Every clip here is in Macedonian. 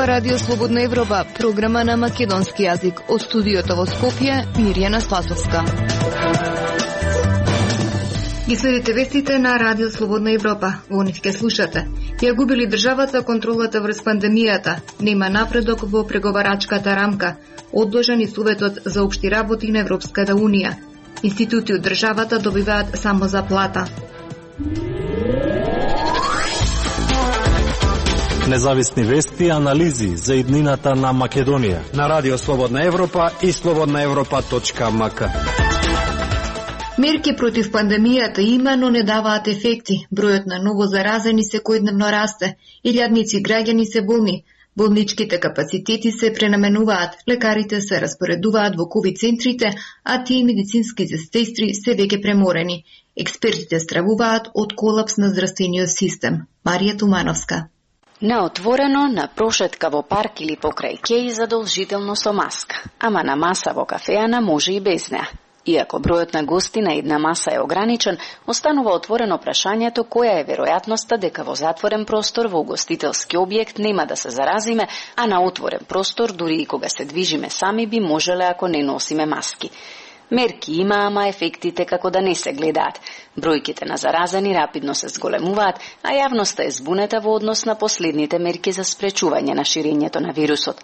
ова Радио Слободна Европа, програма на македонски јазик. Од студиото во Скопје, Мирјана Спасовска. Ги следите вестите на Радио Слободна Европа. Во нив ќе слушате. Ја губили државата контролата врз пандемијата. Нема напредок во преговарачката рамка. Одложен и Советот за општи работи на Европската Унија. Институти од државата добиваат само заплата. Независни вести и анализи за иднината на Македонија на Радио Слободна Европа и slobodnaevropa.mk. Мерки против пандемијата има, но не даваат ефекти. Бројот на ново заразени секојдневно расте. Илјадници граѓани се болни. Болничките капацитети се пренаменуваат, лекарите се распоредуваат во ковид центрите, а тие медицински сестри се веќе преморени. Експертите стравуваат од колапс на здравствениот систем. Марија Тумановска. На отворено, на прошетка во парк или покрај кеј задолжително со маска, ама на маса во кафеана може и без неа. Иако бројот на гости на една маса е ограничен, останува отворено прашањето која е веројатноста дека во затворен простор во угостителски објект нема да се заразиме, а на отворен простор дури и кога се движиме сами би можеле ако не носиме маски. Мерки има, ама ефектите како да не се гледаат. Бројките на заразени рапидно се зголемуваат, а јавноста е збунета во однос на последните мерки за спречување на ширењето на вирусот.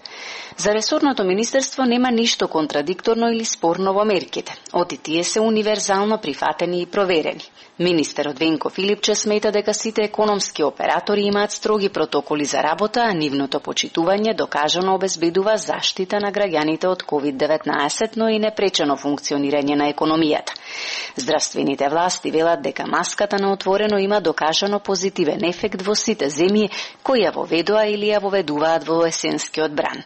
За ресорното министерство нема ништо контрадикторно или спорно во мерките. Оти тие се универзално прифатени и проверени. Министерот Венко Филипче смета дека сите економски оператори имаат строги протоколи за работа, а нивното почитување докажано обезбедува заштита на граѓаните од COVID-19, но и непречено функционирање на економијата. Здравствените власти велат дека маската на отворено има докажано позитивен ефект во сите земји кои ја воведоа или ја воведуваат во есенскиот бран.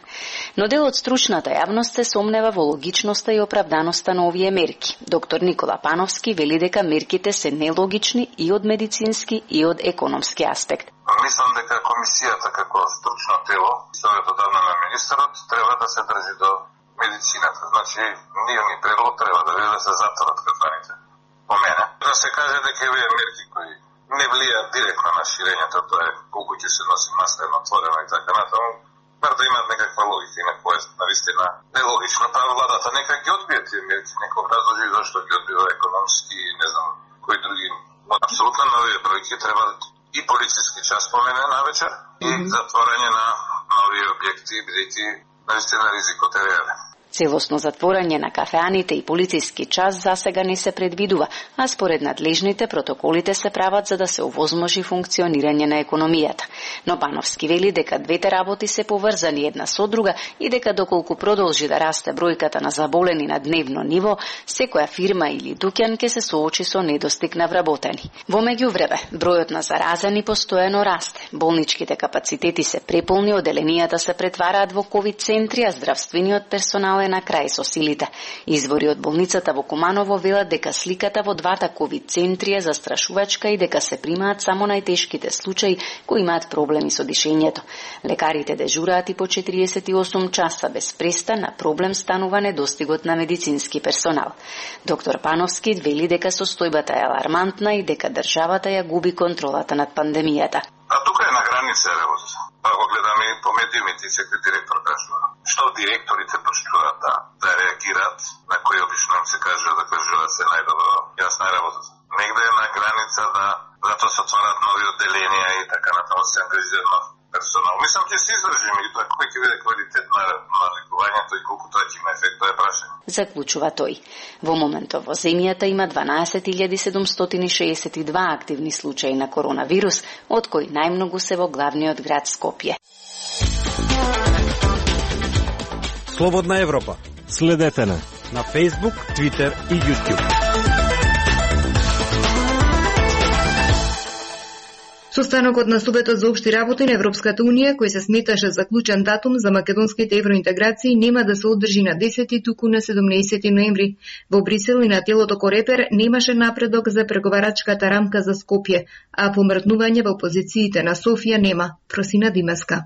Но дел од стручната јавност се сомнева во логичноста и оправданоста на овие мерки. Доктор Никола Пановски вели дека мерките се нелогични и од медицински и од економски аспект. Мислам дека комисијата како стручно тело, советодавна на министерот, треба да се држи до медицината. Значи, нивни предлог треба да биде да се затворат кафаните. По мене. Да се каже дека овие мерки кои не влијаат директно на ширењето, тоа е колку ќе се носи маска отворено и така натаму, бар да имаат некаква логика и некоја навистина нелогично, па владата нека ги одбие тие мерки, нека образложи зашто ги одбива економски, не знам, кои други. Апсолутно нови бројки треба и полициски час по мене навечер и затворање на нови објекти, бидејќи навистина ризикот е реален. Целосно затворање на кафеаните и полициски час засега не се предвидува, а според надлежните протоколите се прават за да се овозможи функционирање на економијата. Но Пановски вели дека двете работи се поврзани една со друга и дека доколку продолжи да расте бројката на заболени на дневно ниво, секоја фирма или дуќан ќе се соочи со недостиг на вработени. Во меѓувреме, бројот на заразени постојано расте. Болничките капацитети се преполни, оделенијата се претвараат во ковид центри, а здравствениот персонал на крај со силите. Извори од болницата во Куманово велат дека сликата во двата ковид центри е застрашувачка и дека се примаат само најтешките случаи кои имаат проблеми со дишењето. Лекарите дежураат и по 48 часа без престан, на проблем станува недостигот на медицински персонал. Доктор Пановски вели дека состојбата е алармантна и дека државата ја губи контролата над пандемијата. А тука е на граница работата. Па го гледаме и по медиумите и секој директор кажува. Што директорите почнуваат да реагираат, на кои обично им се кажува да кажуваат се најдобро, јасна е работата. Негде е на граница да затоа се отварат нови одделенија и така натаму се ангажира нов персонал. Мислам ќе се издржиме и тоа кој ќе биде квалитет на лекувањето и колку тоа ќе има ефект, тоа е прашање. Заклучува тој. Во моментов во земјата има 12.762 активни случаи на коронавирус, од кои најмногу се во главниот град Скопје. Слободна Европа. Следете на Facebook, Twitter и YouTube. Состанокот на Советот за општи работи на Европската Унија, кој се сметаше заклучен датум за македонските евроинтеграции, нема да се одржи на 10 туку на 17 ноември. Во Брисел и на телото Корепер немаше напредок за преговарачката рамка за Скопје, а помртнување во позициите на Софија нема. Просина Димеска.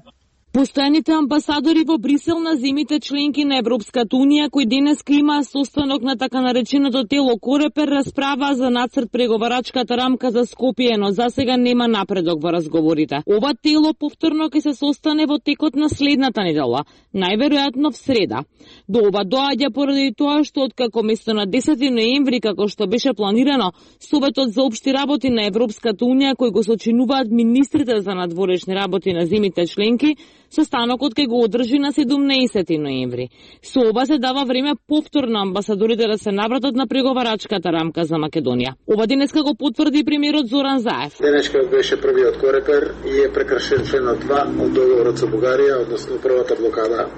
Постојаните амбасадори во Брисел на земјите членки на Европската Унија, кои денеска имаа состанок на така нареченото тело Корепер, расправаа за нацрт преговарачката рамка за Скопје, но засега нема напредок во разговорите. Ова тело повторно ќе се состане во текот на следната недела, најверојатно в среда. До ова доаѓа поради тоа што откако место на 10 ноември, како што беше планирано, Советот за општи работи на Европската Унија, кој го сочинуваат министрите за надворешни работи на земјите членки, состанокот ќе го одржи на 17 ноември. Со ова се дава време повторно амбасадорите да се навратат на преговарачката рамка за Македонија. Ова денеска го потврди премиерот Зоран Заев. Денеска беше првиот Корепер и е прекршен членот 2 од договорот со Бугарија, односно првата блокада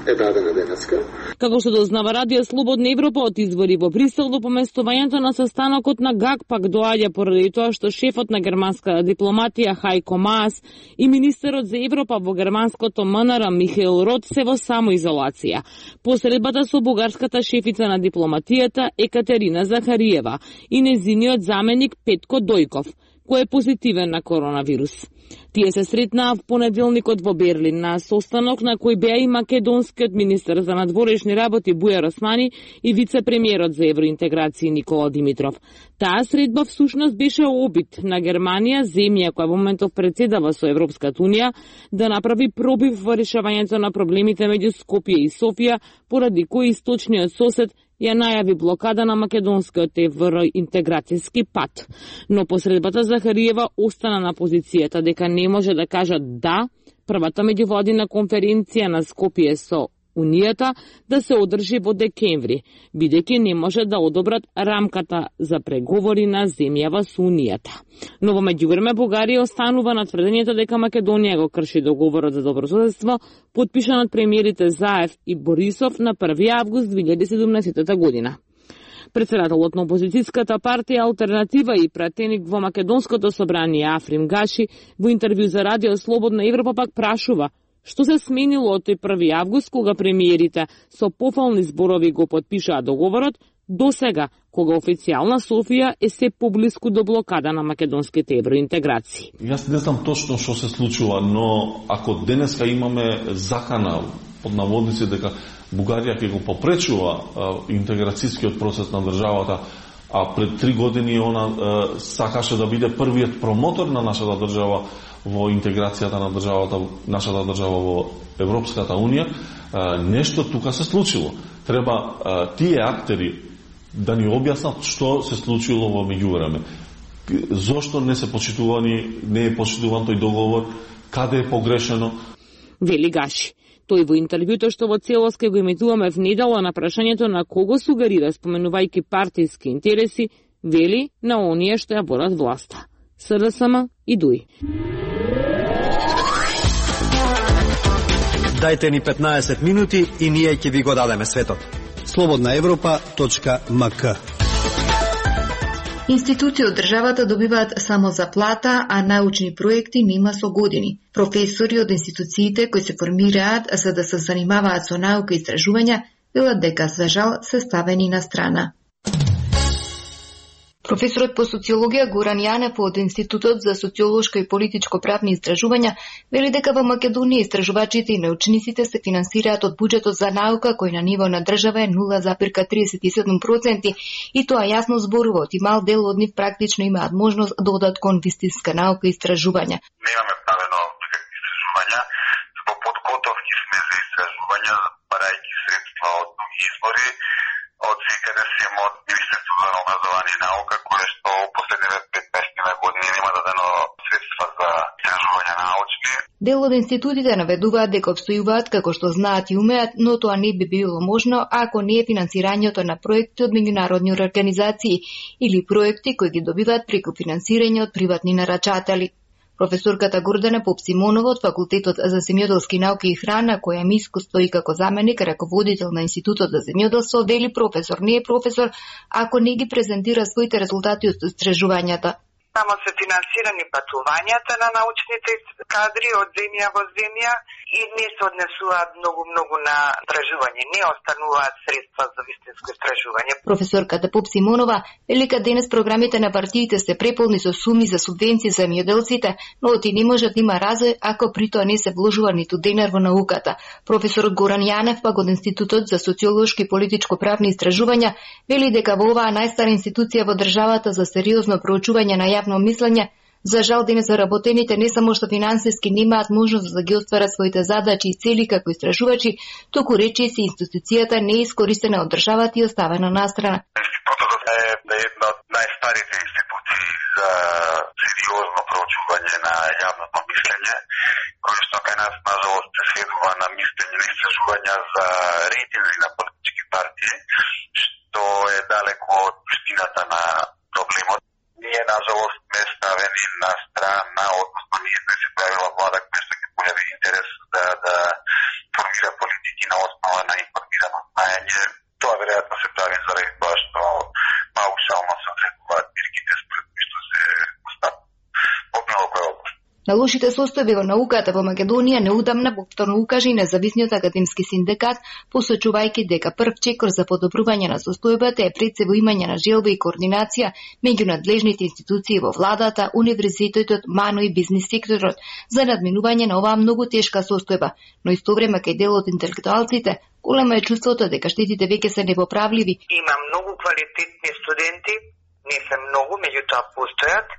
е дадена денеска. Како што дознава Радио Слободна Европа од извори во Брисел, до поместувањето на состанокот на ГАК пак доаѓа поради тоа што шефот на германската дипломатија Хайко Маас и министерот за Европа во германското МНР Михаил Рот се во самоизолација. Посредбата со бугарската шефица на дипломатијата Екатерина Захариева и нејзиниот заменик Петко Дојков, кој е позитивен на коронавирус. Тие се сретнаа в понеделникот во Берлин на состанок на кој беа и македонскиот министер за надворешни работи Бујар Османи и вице-премиерот за евроинтеграција Никола Димитров. Таа средба всушност беше обид на Германија, земја која во моментов председава со Европската Унија, да направи пробив во решавањето на проблемите меѓу Скопје и Софија, поради кој источниот сосед ја најави блокада на македонскиот евроинтеграцијски пат. Но посредбата Захариева остана на позицијата дека не може да кажат да првата меѓувладина конференција на Скопје со Унијата да се одржи во декември, бидејќи не може да одобрат рамката за преговори на земјава со Унијата. Но во меѓувреме Бугарија останува на тврдењето дека Македонија го крши договорот за добрососедство, потпишан од премиерите Заев и Борисов на 1 август 2017 година. Председателот на опозицијската партија Алтернатива и пратеник во Македонското собрание Африм Гаши во интервју за Радио Слободна Европа пак прашува што се сменило од тој 1 август кога премиерите со пофални зборови го потпишаа договорот, до сега, кога официјална Софија е се поблиску до блокада на македонските евроинтеграции. Јас не знам точно што се случува, но ако денеска имаме закана под наводници дека Бугарија ќе го попречува интеграцијскиот процес на државата, а пред 3 години она сакаше да биде првиот промотор на нашата држава во интеграцијата на државата, нашата држава во Европската Унија, нешто тука се случило. Треба тие актери да ни објаснат што се случило во меѓувреме. Зошто не е почитуван тој договор, каде е погрешено? Вели Гаши. Тој во интервјуто што во целост ке го имитуваме в недела на прашањето на кого сугерира споменувајќи партиски интереси, вели на оние што ја водат власта. СДСМ и ДУИ. Дајте ни 15 минути и ние ќе ви го дадеме светот. slobodnaevropa.mk. Институции од државата добиваат само заплата, а научни проекти нема со години. Професори од институциите кои се формираат за да се занимаваат со наука и истражувања велат дека за жал се ставени на страна. Професорот по социологија Горан Јанев од Институтот за социолошко и политичко правни истражувања вели дека во Македонија истражувачите и научниците се финансираат од буџетот за наука кој на ниво на држава е 0,37% и тоа јасно зборува од мал дел од нив практично имаат можност да одат кон вистинска наука и истражувања. Немаме правено никакви истражувања, во подготовки сме за истражувања, барајќи средства од други извори, од секаде сем од Министерството за образование и наука, кое што последниве 15 години нема дадено средства за истражувања научни. Дел од институтите наведуваат дека обстојуваат како што знаат и умеат, но тоа не би било можно ако не е финансирањето на проекти од меѓународни организации или проекти кои ги добиваат преку финансирање од приватни нарачатели. Професорката Гордана Попсимонова од Факултетот за земјоделски науки и храна, која има искуство и како заменик раководител на Институтот за земјоделство, вели професор не е професор ако не ги презентира своите резултати од истражувањата. само се финансирани патувањата на научните кадри од земја во земја и не се однесуваат многу на истражување, не остануваат средства за вистинско истражување. Професорката Поп Симонова вели дека денес програмите на партиите се преполни со суми за субвенции за земјоделците, но оти не може да има разој ако при тоа не се вложува ниту денар во науката. Професорот Горан Јанев пак од Институтот за социолошки и политичко-правни истражувања вели дека во оваа најстара институција во државата за сериозно проучување на јавно мислење, за жал денес заработените не само што финансиски немаат можност да ги остварат своите задачи и цели како истражувачи, туку речиси институцијата не е искористена од државата и оставена настрана. Институтот е една од најстарите институции за сериозно проучување на јавното мислење, кој што кај нас нажалост се следува на мислење на истражувања за рейтинзи на политички партии, што е далеко од суштината на проблемот. Ние, нажалост, сме ставени на страна, односно ние сме се правила влада, која што ќе појави интерес да формира политики на основа на информирано знаење. Тоа веројатно се прави заради тоа што паушално се одредуваат бирките според кои што се постават во било која област. На лошите состојби во науката во Македонија неудамна повторно укажа и независниот академски синдикат, посочувајќи дека прв чекор за подобрување на состојбата е пред се во имање на желба и координација меѓу надлежните институции во владата, универзитетот, МАНО и бизнис секторот за надминување на оваа многу тешка состојба, но истовреме кај дел од интелектуалците големо е чувството дека штетите веќе се непоправливи. Има многу квалитетни студенти, не се многу, меѓутоа постојат,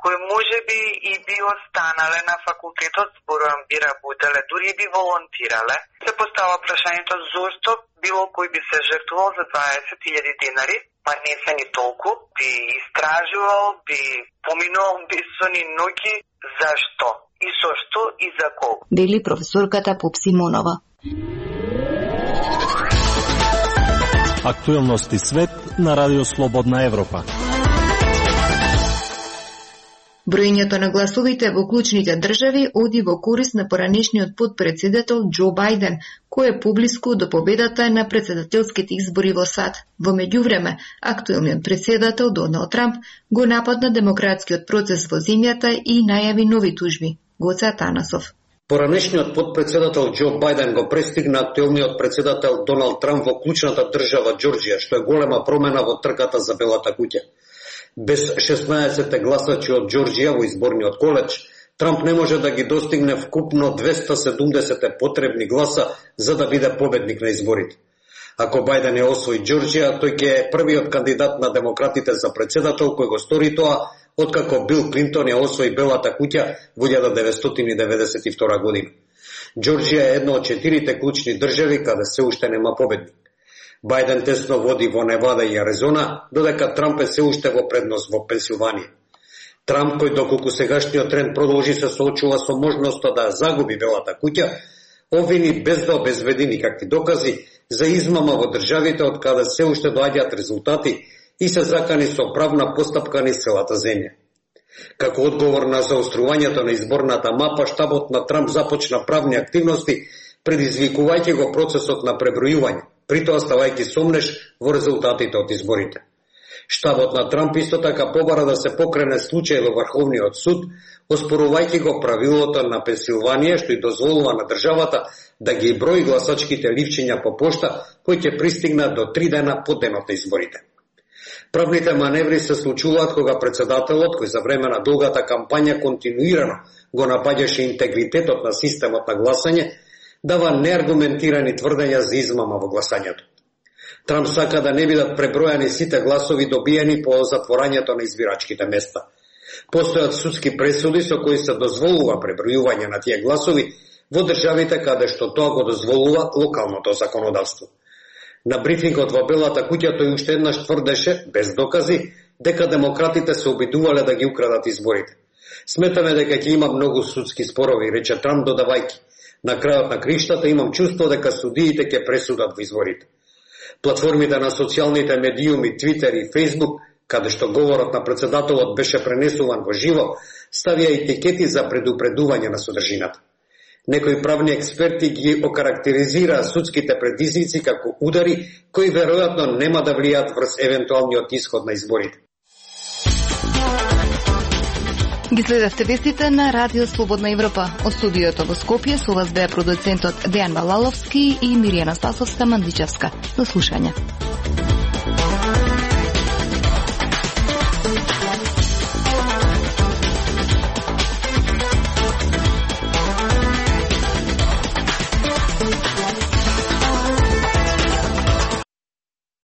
кои може би и би останале на факултетот, зборувам би работеле, дури би волонтирале. Се постава прашањето зошто било кој би се жртвувал за 20.000 денари, па не се ни толку, би истражувал, би поминувал бесони ноќи, зашто? И со што и за колку? Вели професорката Поп Симонова. Актуелности свет на Радио Слободна Европа. Броењето на гласовите во клучните држави оди во корист на поранешниот потпредседател Џо Бајден, кој е поблиску до победата на претседателските избори во САД. Во меѓувреме, актуелниот претседател Доналд Трамп го нападна демократскиот процес во земјата и најави нови тужби. Гоце Атанасов. Поранешниот потпредседател Џо Бајден го престигна актуелниот претседател Доналд Трамп во клучната држава Џорџија, што е голема промена во трката за Белата куќа. Без 16 гласачи од Џорџија во изборниот коледж, Трамп не може да ги достигне вкупно 270 потребни гласа за да биде победник на изборите. Ако Бајден ја освои Џорџија, тој ќе е првиот кандидат на демократите за председател кој го стори тоа, откако Бил Клинтон ја освои Белата куќа во 1992 година. Џорџија е една од 4 клучни држави каде се уште нема победник. Бајден тесно води во Невада и Аризона, додека Трамп е се уште во предност во Пенсилванија. Трамп, кој доколку сегашниот тренд продолжи се соочува со можноста да загуби Белата куќа, обвини без да обезбеди никакви докази за измама во државите од каде се уште доаѓаат резултати и се закани со правна постапка низ целата земја. Како одговор на заострувањето на изборната мапа, штабот на Трамп започна правни активности, предизвикувајќи го процесот на пребројување, притоа ставајќи сомнеш во резултатите од изборите. Штабот на Трамп исто така побара да се покрене случај во Врховниот суд, оспорувајќи го правилото на Пенсилванија што и дозволува на државата да ги брои гласачките ливчиња по пошта кои ќе пристигнат до 3 дена по денот на изборите. Правните маневри се случуваат кога председателот, кој за време на долгата кампања континуирано го напаѓаше интегритетот на системот на гласање, дава неаргументирани тврдења за измама во гласањето. Трамп сака да не бидат пребројани сите гласови добиени по затворањето на избирачките места. Постојат судски пресуди со кои се дозволува пребројување на тие гласови во државите каде што тоа го дозволува локалното законодавство. На брифингот во Белата куќа тој уште еднаш тврдеше, без докази, дека демократите се обидувале да ги украдат изборите. Сметаме дека ќе има многу судски спорови, рече Трамп додавајќи. На крајот на криштата имам чувство дека судиите ќе пресудат во изборите. Платформите на социјалните медиуми, Твитер и Фејсбук, каде што говорот на председателот беше пренесуван во живо, ставија етикети за предупредување на содржината. Некои правни експерти ги окарактеризираа судските предизвици како удари кои веројатно нема да влијат врз евентуалниот исход на изборите. Ги следевте вестите на Радио Слободна Европа. Од студиото во Скопје со вас беа продуцентот Дејан Балаловски и Миријана Спасовска-Мандичевска. До слушање.